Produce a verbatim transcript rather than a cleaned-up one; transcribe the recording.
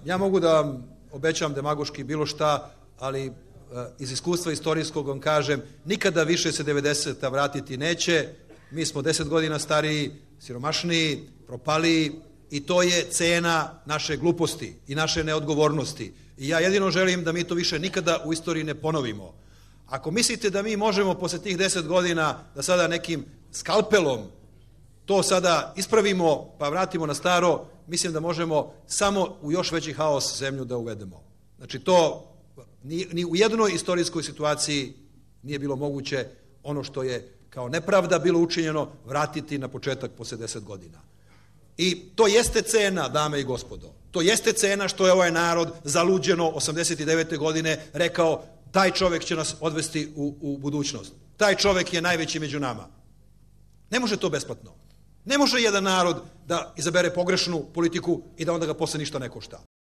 Ja mogu da vam obećam demagoški bilo šta, ali iz iskustva istorijskog vam kažem, nikada više se devedeseta vratiti neće, mi smo deset godina stariji, siromašniji, propaliji i to je cena naše gluposti i naše neodgovornosti. I ja jedino želim da mi to više nikada u istoriji ne ponovimo. Ako mislite da mi možemo posle tih deset godina da sada nekim skalpelom to sada ispravimo pa vratimo na staro, mislim da možemo samo u još veći haos zemlju da uvedemo. Znači to ni, ni u jednoj istorijskoj situaciji nije bilo moguće ono što je kao nepravda bilo učinjeno vratiti na početak posle deset godina. I to jeste cena, dame i gospodo. To jeste cena što je ovaj narod zaluđeno osamdeset devete godine rekao taj čovek će nas odvesti u, u budućnost. Taj čovek je najveći među nama. Ne može to besplatno. Ne može jedan narod da izabere pogrešnu politiku i da onda ga posle ništa ne košta.